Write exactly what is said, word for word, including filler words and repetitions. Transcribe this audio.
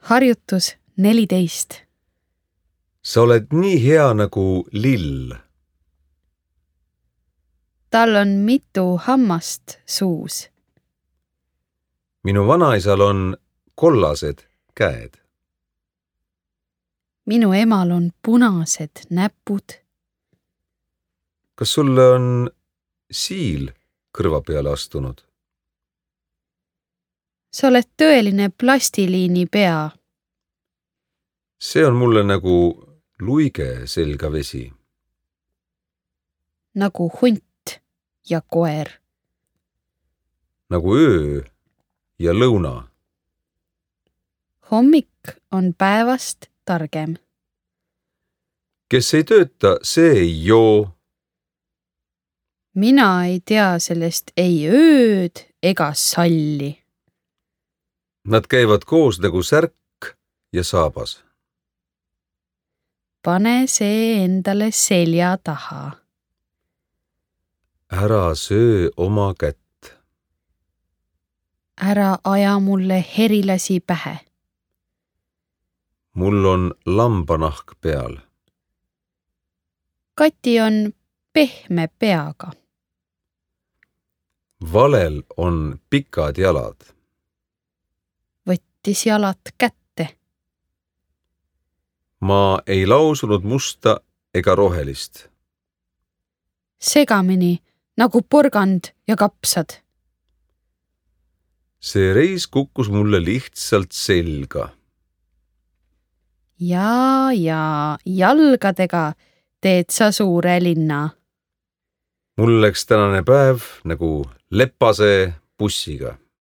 Harjutus neliteist. Sa oled nii hea nagu lill. Tal on mitu hammast suus. Minu vanaisal on kollased käed. Minu emal on punased näpud. Kas sulle on siil kõrva peale astunud? Sa oled tõeline plastiliini pea. See on mulle nagu luige selga vesi. Nagu hunt ja koer. Nagu öö ja lõuna. Hommik on päevast targem. Kes ei tööta, see ei joo. Mina ei tea sellest ei ööd ega salli. Nad käivad koos nagu särk ja saabas. Pane see endale selja taha. Ära söö oma kätt. Ära aja mulle herilasi pähe. Mul on lambanahk peal. Kati on pehme peaga. Valel on pikad jalad. Võttis jalad kätte. Ma ei lausunud musta ega rohelist. Segamini nagu porgand ja kapsad. See reis kukkus mulle lihtsalt selga. Ja, ja jalgadega teed sa suure linna. Mul läks tänane päev nagu lepase bussiga.